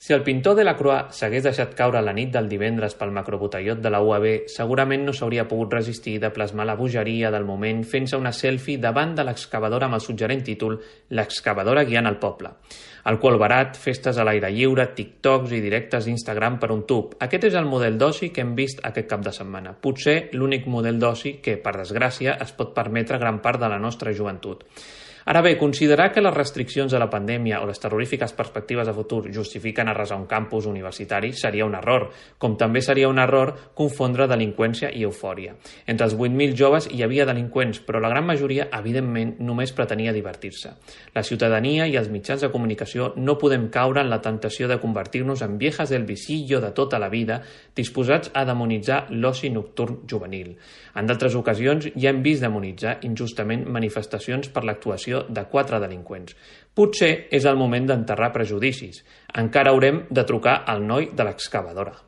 Si el pintor Delacroix s'hagués deixat caure la nit del divendres pel macrobotellot de la UAB, segurament no s'hauria pogut resistir de plasmar la bogeria del moment fent-se una selfie davant de l'excavadora amb el suggerent títol «L'excavadora guiant el poble». Alcohol barat, festes a l'aire lliure, TikToks i directes d'Instagram per un tub. Aquest és el model d'oci que hem vist aquest cap de setmana. Potser l'únic model d'oci que, per desgràcia, es pot permetre gran part de la nostra joventut. Ara bé, considerar que les restriccions de la pandèmia o les terrorífiques perspectives de futur justifiquen arrasar un campus universitari seria un error, com també seria un error confondre delinqüència i eufòria. Entre els 8.000 joves hi havia delinqüents, però la gran majoria, evidentment, només pretenia divertir-se. La ciutadania i els mitjans de comunicació no podem caure en la temptació de convertir-nos en viejas del visillo de tota la vida, disposats a demonitzar l'oci nocturn juvenil. En d'altres ocasions ja hem vist demonitzar injustament manifestacions per l'actuació de 4 delinqüents. Potser és el moment d'enterrar prejudicis. Encara haurem de trucar al noi de l'excavadora.